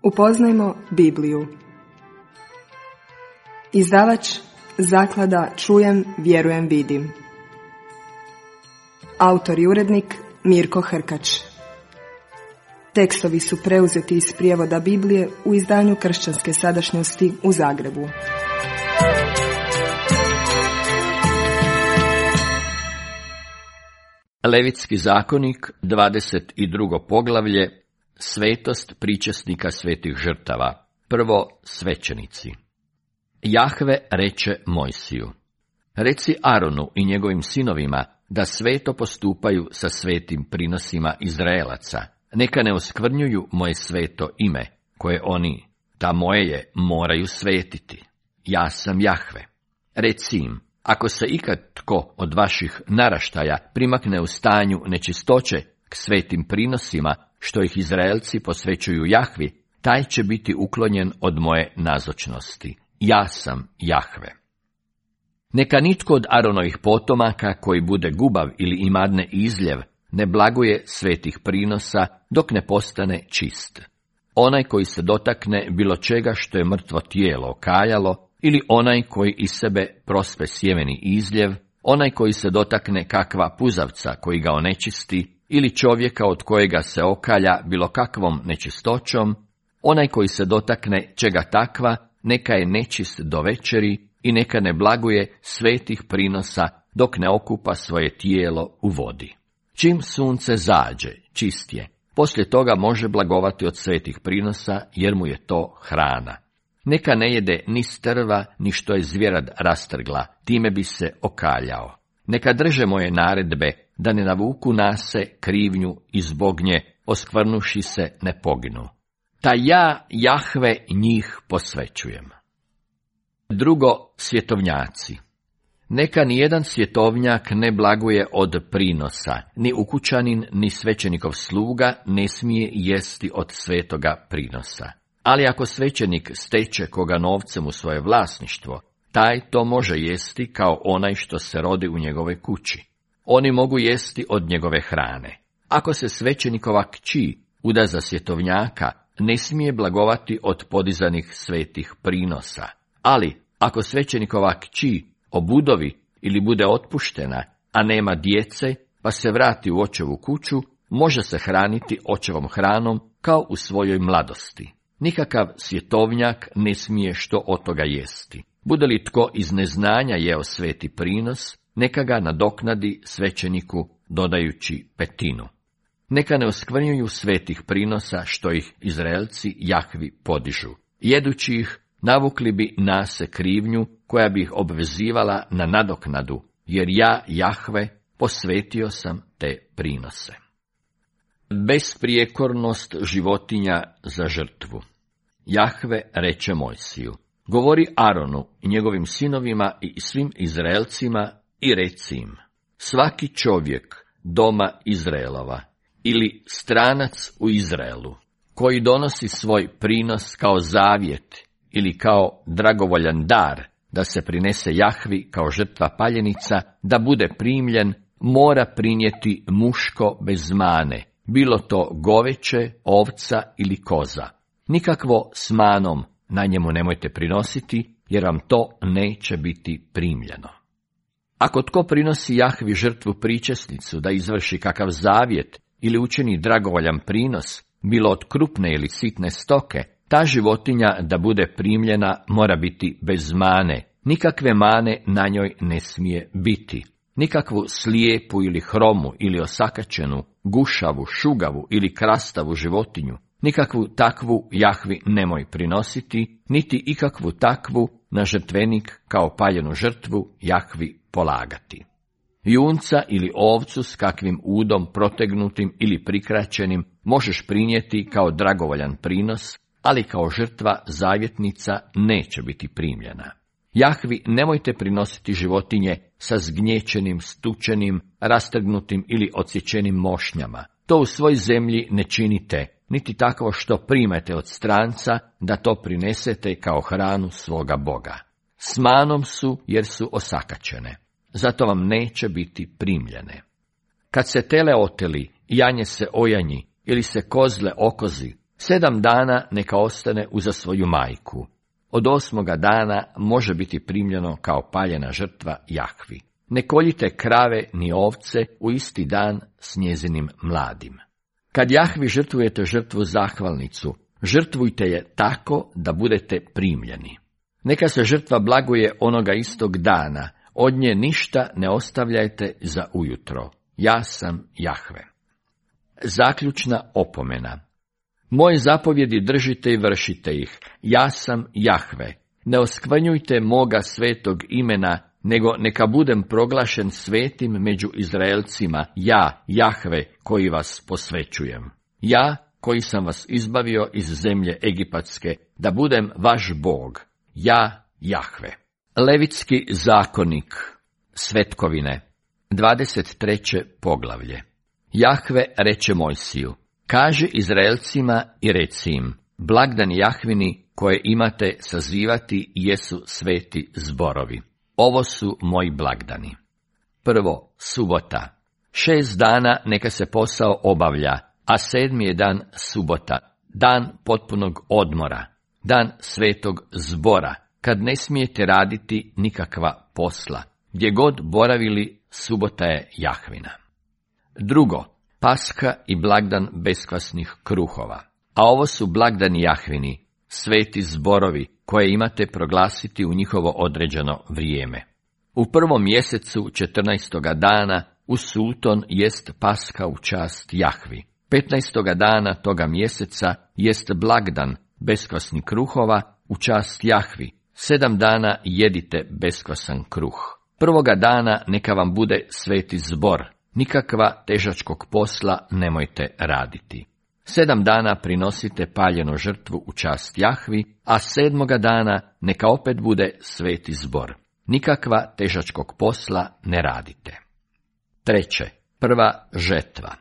Upoznajmo Bibliju. Izdavač Zaklada Čujem, vjerujem, vidim. Autor i urednik Mirko Hrkač. Tekstovi su preuzeti iz prijevoda Biblije u izdanju Kršćanske sadašnjosti u Zagrebu. Levitski zakonik, 22. poglavlje, svetost pričesnika svetih žrtava. Prvo, svećenici. Jahve reče Mojsiju: reci Aronu i njegovim sinovima da sveto postupaju sa svetim prinosima Izraelaca. Neka ne oskvrnjuju moje sveto ime, koje oni, ta moje je, moraju svetiti. Ja sam Jahve. Reci im: ako se ikad tko od vaših naraštaja primakne u stanju nečistoće k svetim prinosima, što ih Izraelci posvećuju Jahvi, taj će biti uklonjen od moje nazočnosti. Ja sam Jahve. Neka nitko od Aronovih potomaka koji bude gubav ili imadne izljev ne blaguje svetih prinosa dok ne postane čist. Onaj koji se dotakne bilo čega što je mrtvo tijelo okaljalo, ili onaj koji iz sebe prospe sjemeni izljev, onaj koji se dotakne kakva puzavca koji ga onečisti, ili čovjeka od kojega se okalja bilo kakvom nečistoćom, onaj koji se dotakne čega takva, neka je nečist do večeri i neka ne blaguje svetih prinosa dok ne okupa svoje tijelo u vodi. Čim sunce zađe, čist je. Poslije toga može blagovati od svetih prinosa, jer mu je to hrana. Neka ne jede ni strva, ni što je zvjerad rastrgla, time bi se okaljao. Neka drže moje naredbe, da ne navuku nase krivnju i zbog nje, oskvrnuši se, ne poginu. Ta ja, Jahve, njih posvećujem. Drugo, svjetovnjaci. Neka nijedan svjetovnjak ne blaguje od prinosa, ni ukućanin, ni svećenikov sluga ne smije jesti od svetoga prinosa. Ali ako svećenik steče koga novcem u svoje vlasništvo, taj to može jesti kao onaj što se rodi u njegove kući. Oni mogu jesti od njegove hrane. Ako se svećenikova kći uda za svjetovnjaka, ne smije blagovati od podizanih svetih prinosa. Ali ako svećenikova kći obudovi ili bude otpuštena, a nema djece, pa se vrati u očevu kuću, može se hraniti očevom hranom kao u svojoj mladosti. Nikakav svjetovnjak ne smije što od toga jesti. Bude li tko iz neznanja jeo sveti prinos, neka ga nadoknadi svećeniku dodajući petinu. Neka ne oskvrnjuju svetih prinosa što ih Izraelci Jahvi podižu. Jedući ih, navukli bi nase krivnju koja bi ih obvezivala na nadoknadu, jer ja, Jahve, posvetio sam te prinose. Besprijekornost životinja za žrtvu. Jahve reče Mojsiju: govori Aronu i njegovim sinovima i svim Izraelcima i reci im: svaki čovjek doma Izraelova ili stranac u Izraelu, koji donosi svoj prinos kao zavjet ili kao dragovoljan dar, da se prinese Jahvi kao žrtva paljenica, da bude primljen, mora prinijeti muško bez mane, bilo to goveće, ovca ili koza. Nikakvo s manom na njemu nemojte prinositi, jer vam to neće biti primljeno. Ako tko prinosi Jahvi žrtvu pričesnicu da izvrši kakav zavjet ili učini dragovoljan prinos, bilo od krupne ili sitne stoke, ta životinja da bude primljena mora biti bez mane, nikakve mane na njoj ne smije biti. Nikakvu slijepu ili hromu ili osakačenu, gušavu, šugavu ili krastavu životinju, nikakvu takvu Jahvi nemoj prinositi, niti ikakvu takvu na žrtvenik kao paljenu žrtvu Jahvi polagati. Junca ili ovcu s kakvim udom protegnutim ili prikraćenim možeš prinijeti kao dragovoljan prinos, ali kao žrtva zavjetnica neće biti primljena. Jahvi nemojte prinositi životinje sa zgnječenim, stučenim, rastrgnutim ili odsječenim mošnjama. To u svoj zemlji ne činite, niti tako što primete od stranca da to prinesete kao hranu svoga Boga. S manom su jer su osakačene, zato vam neće biti primljene. Kad se tele oteli, janje se ojanji ili se kozle okozi, 7 dana neka ostane uza svoju majku. Od 8. dana može biti primljeno kao paljena žrtva Jahvi. Ne koljite krave ni ovce u isti dan s njezinim mladim. Kad Jahvi žrtvujete žrtvu zahvalnicu, žrtvujte je tako da budete primljeni. Neka se žrtva blaguje onoga istog dana, od nje ništa ne ostavljajte za ujutro. Ja sam Jahve. Zaključna opomena. Moje zapovjedi držite i vršite ih. Ja sam Jahve. Ne oskvrnjujte moga svetog imena, nego neka budem proglašen svetim među Izraelcima, ja, Jahve, koji vas posvećujem. Ja, koji sam vas izbavio iz zemlje egipatske, da budem vaš Bog. Ja, Jahve. Levitski zakonik, svetkovine, 23. poglavlje. Jahve reče Mojsiju, kaži Izraelcima i reci im, blagdani Jahvini koje imate sazivati jesu sveti zborovi. Ovo su moji blagdani. Prvo, subota. 6 dana neka se posao obavlja, a 7. je dan subota, dan potpunog odmora, dan svetog zbora, kad ne smijete raditi nikakva posla. Gdje god boravili, subota je Jahvina. Drugo, Paska i blagdan beskvasnih kruhova. A ovo su blagdani Jahvini, sveti zborovi, koje imate proglasiti u njihovo određeno vrijeme. U 1. mjesecu 14. dana u sulton jest Paska u čast Jahvi. 15. dana toga mjeseca jest blagdan beskvasnih kruhova u čast Jahvi. 7 dana jedite beskvasan kruh. 1. dana neka vam bude sveti zbor. Nikakva težačkog posla nemojte raditi. 7 dana prinosite paljenu žrtvu u čast Jahvi, a 7. dana neka opet bude sveti zbor. Nikakva težačkog posla ne radite. Treće, prva žetva.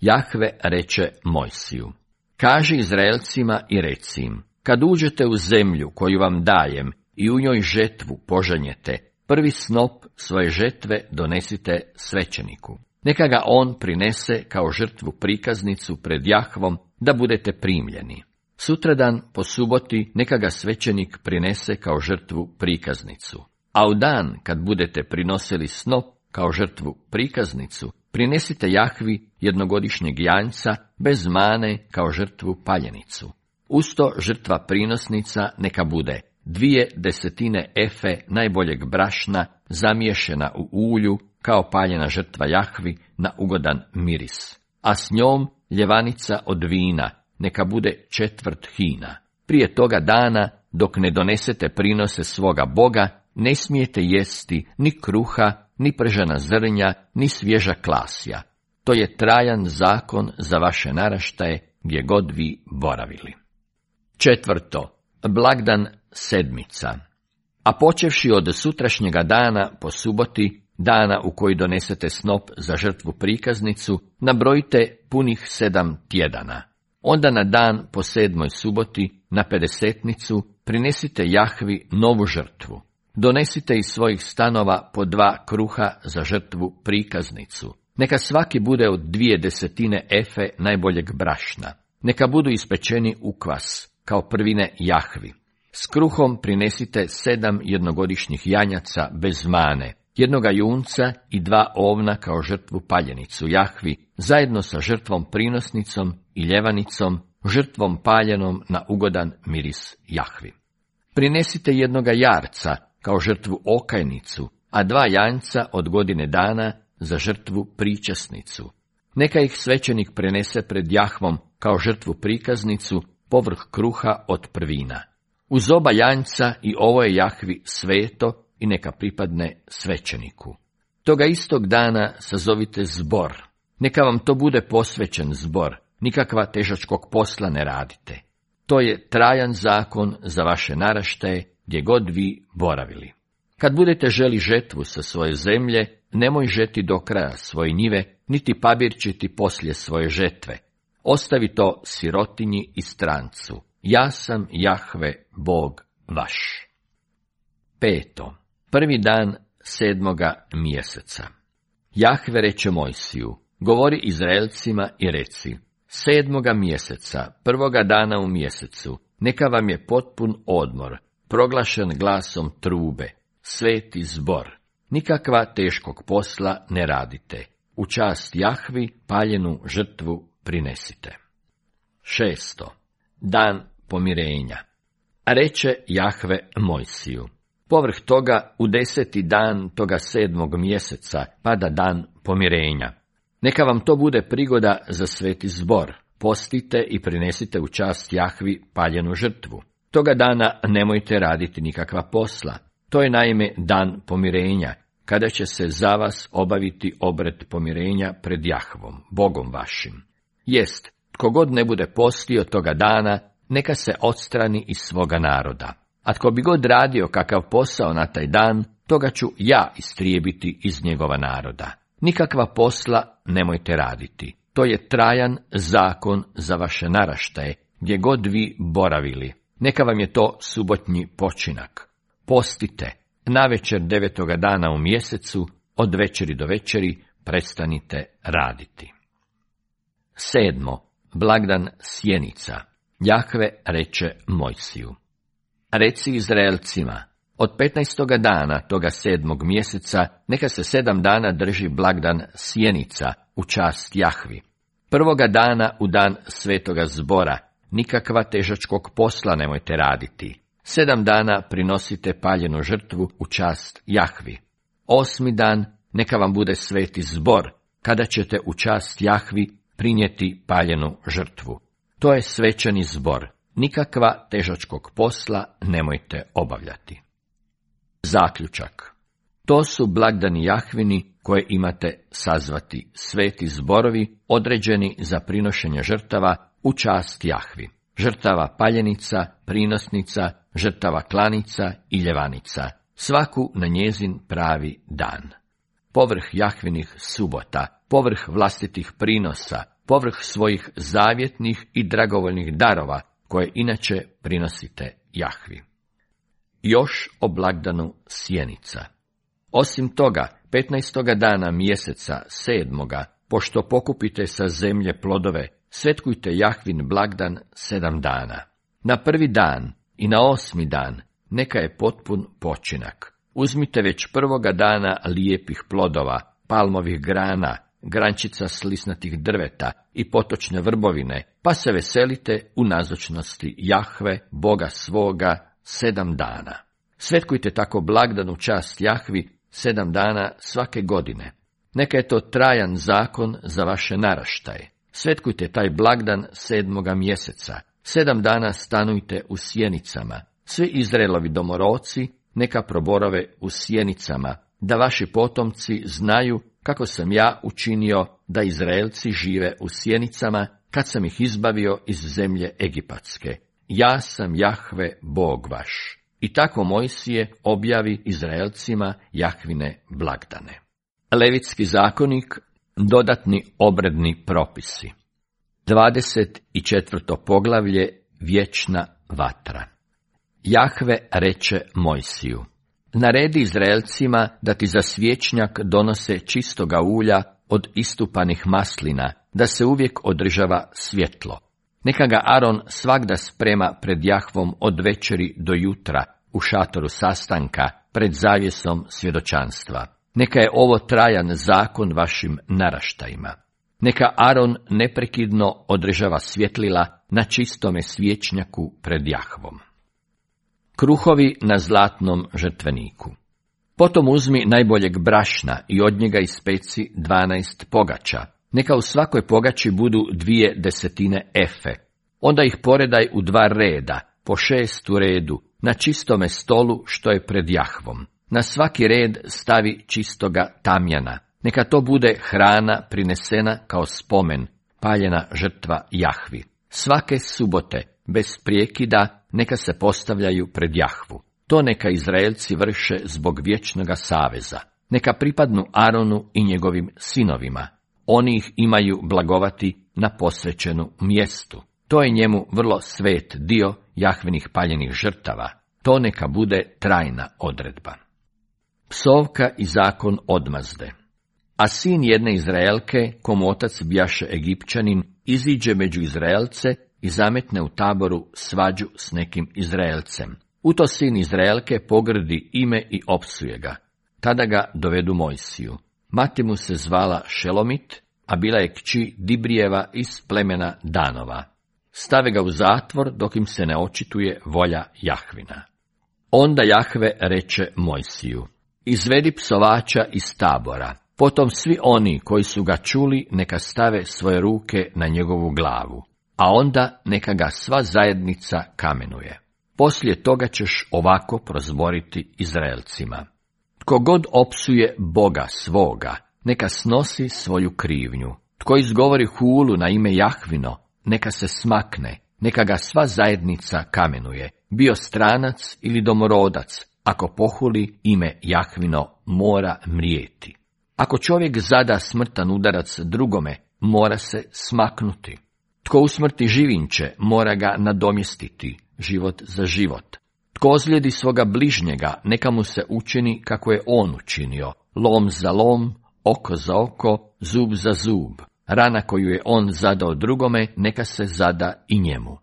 Jahve reče Mojsiju, kaži Izraelcima i reci im, kad uđete u zemlju koju vam dajem i u njoj žetvu požanjete, prvi snop svoje žetve donesite svećeniku. Neka ga on prinese kao žrtvu prikaznicu pred Jahvom, da budete primljeni. Sutradan po suboti neka ga svećenik prinese kao žrtvu prikaznicu. A u dan kad budete prinosili snop kao žrtvu prikaznicu, prinesite Jahvi jednogodišnjeg janjca bez mane kao žrtvu paljenicu. Usto žrtva prinosnica neka bude 2/10 efe najboljeg brašna zamiješena u ulju kao paljena žrtva Jahvi na ugodan miris, a s njom ljevanica od vina neka bude 1/4 hina. Prije toga dana, dok ne donesete prinose svoga Boga, ne smijete jesti ni kruha, ni pržena zrnja, ni svježa klasja. To je trajan zakon za vaše naraštaje, gdje god vi boravili. Četvrto, blagdan sedmica. A počevši od sutrašnjega dana po suboti, dana u koji donesete snop za žrtvu prikaznicu, nabrojite punih 7 tjedana. Onda na dan po 7. suboti, na 50-nicu, prinesite Jahvi novu žrtvu. Donesite iz svojih stanova po 2 kruha za žrtvu prikaznicu. Neka svaki bude od 2/10 efe najboljeg brašna. Neka budu ispečeni u kvas, kao prvine Jahvi. S kruhom prinesite 7 jednogodišnjih janjaca bez mane, 1 junca i 2 ovna kao žrtvu paljenicu Jahvi, zajedno sa žrtvom prinosnicom i ljevanicom, žrtvom paljenom na ugodan miris Jahvi. Prinesite 1 jarca kao žrtvu okajnicu, a 2 janjca od godine dana za žrtvu pričasnicu. Neka ih svećenik prenese pred Jahvom kao žrtvu prikaznicu povrh kruha od prvina. Uz oba janjca i ovo je Jahvi sveto i neka pripadne svećeniku. Toga istog dana sazovite zbor. Neka vam to bude posvećen zbor, nikakva težačkog posla ne radite. To je trajan zakon za vaše naraštaje, gdje god vi boravili. Kad budete želi žetvu sa svoje zemlje, nemoj žeti do kraja svoje njive, niti pabirčiti poslije svoje žetve. Ostavi to sirotinji i strancu. Ja sam Jahve, Bog vaš. Peto, prvi dan 7. mjeseca. Jahve reče Mojsiju, govori Izraelcima i reci, 7. mjeseca, 1. dana u mjesecu, neka vam je potpun odmor, proglašen glasom trube, sveti zbor. Nikakva teškog posla ne radite. U čast Jahvi paljenu žrtvu prinesite. 6. Dan pomirenja. Reče Jahve Mojsiju: povrh toga u 10. dan toga 7. mjeseca pada dan pomirenja. Neka vam to bude prigoda za sveti zbor. Postite i prinesite u čast Jahvi paljenu žrtvu. Toga dana nemojte raditi nikakva posla. To je naime dan pomirenja, kada će se za vas obaviti obred pomirenja pred Jahvom, Bogom vašim. Jest, tko god ne bude postio toga dana, neka se odstrani iz svoga naroda. A tko bi god radio kakav posao na taj dan, toga ću ja istrijebiti iz njegova naroda. Nikakva posla nemojte raditi. To je trajan zakon za vaše naraštaje, gdje god vi boravili. Neka vam je to subotnji počinak. Postite, navečer 9. dana u mjesecu, od večeri do večeri, prestanite raditi. 7. Blagdan sjenica. Jahve reče Mojsiju: reci Izraelcima, od 15. dana toga 7. mjeseca, neka se 7 dana drži blagdan sjenica u čast Jahvi. 1. dana u dan svetoga zbora, nikakva težačkog posla nemojte raditi. 7 dana prinosite paljenu žrtvu u čast Jahvi. 8. dan neka vam bude sveti zbor, kada ćete u čast Jahvi prinijeti paljenu žrtvu. To je svečani zbor. Nikakva težačkog posla nemojte obavljati. Zaključak. To su blagdani Jahvini koje imate sazvati, sveti zborovi određeni za prinošenje žrtava u čast Jahvi. Žrtava paljenica, prinosnica, žrtava klanica i ljevanica, svaku na njezin pravi dan. Povrh Jahvinih subota, povrh vlastitih prinosa, povrh svojih zavjetnih i dragovoljnih darova, koje inače prinosite Jahvi. Još o blagdanu sjenica. Osim toga, 15. dana mjeseca 7. pošto pokupite sa zemlje plodove, svetkujte Jahvin blagdan 7 dana. Na 1. dan i na 8. dan neka je potpun počinak. Uzmite već 1. dana lijepih plodova, palmovih grana, grančica slisnatih drveta i potočne vrbovine, pa se veselite u nazočnosti Jahve, Boga svoga, 7 dana. Svetkujte tako blagdan u čast Jahvi 7 dana svake godine. Neka je to trajan zakon za vaše naraštaje. Svetkujte taj blagdan 7. mjeseca. 7 dana stanujte u sjenicama. Svi Izraelovi domorodci neka proborave u sjenicama, da vaši potomci znaju kako sam ja učinio da Izraelci žive u sjenicama kad sam ih izbavio iz zemlje Egipatske. Ja sam Jahve, Bog vaš. I tako Mojsije objavi Izraelcima Jahvine blagdane. Levitski zakonik, dodatni obredni propisi. 24. poglavlje, vječna vatra. Jahve reče Mojsiju: naredi Izraelcima da ti za svječnjak donose čistoga ulja od istupanih maslina, da se uvijek održava svjetlo. Neka ga Aron svagda sprema pred Jahvom od večeri do jutra u šatoru sastanka pred zavjesom svjedočanstva. Neka je ovo trajan zakon vašim naraštajima. Neka Aron neprekidno održava svjetlila na čistome svječnjaku pred Jahvom. Kruhovi na zlatnom žrtveniku. Potom uzmi najboljeg brašna i od njega ispeci 12 pogača. Neka u svakoj pogači budu 2/10 efe. Onda ih poredaj u 2 reda, po 6 u redu, na čistome stolu što je pred Jahvom. Na svaki red stavi čistoga tamjana. Neka to bude hrana prinesena kao spomen, paljena žrtva Jahvi. Svake subote, bez prijekida, neka se postavljaju pred Jahvu. To neka Izraelci vrše zbog vječnoga saveza. Neka pripadnu Aronu i njegovim sinovima. Oni ih imaju blagovati na posvećenu mjestu. To je njemu vrlo svet dio Jahvinih paljenih žrtava. To neka bude trajna odredba. Psovka i zakon odmazde. A sin jedne Izraelke, komu otac bjaše Egipćanin, iziđe među Izraelce i zametne u taboru svađu s nekim Izraelcem. U to sin Izraelke pogrdi ime i opsuje ga. Tada ga dovedu Mojsiju. Mati mu se zvala Šelomit, a bila je kći Dibrijeva iz plemena Danova. Stave ga u zatvor dok im se ne očituje volja Jahvina. Onda Jahve reče Mojsiju: izvedi psovača iz tabora. Potom svi oni koji su ga čuli neka stave svoje ruke na njegovu glavu, a onda neka ga sva zajednica kamenuje. Poslije toga ćeš ovako prozboriti Izraelcima: tko god opsuje Boga svoga, neka snosi svoju krivnju. Tko izgovori hulu na ime Jahvino, neka se smakne, neka ga sva zajednica kamenuje, bio stranac ili domorodac. Ako pohuli ime Jahvino, mora mrijeti. Ako čovjek zada smrtan udarac drugome, mora se smaknuti. Tko usmrti živinče, mora ga nadomjestiti, život za život. Tko ozlijedi svoga bližnjega, neka mu se učini kako je on učinio, lom za lom, oko za oko, zub za zub. Rana koju je on zadao drugome, neka se zada i njemu.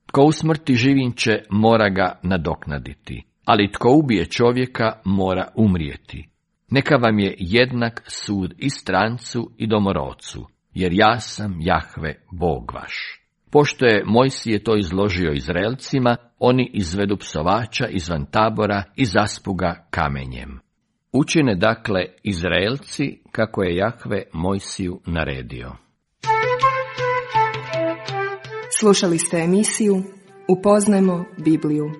Tko usmrti živinče, mora ga nadoknaditi, ali tko ubije čovjeka, mora umrijeti. Neka vam je jednak sud i strancu i domorodcu, jer ja sam Jahve, Bog vaš. Pošto je Mojsije to izložio Izraelcima, oni izvedu psovača izvan tabora i zaspu ga kamenjem. Učine dakle Izraelci kako je Jahve Mojsiju naredio. Slušali ste emisiju Upoznajmo Bibliju.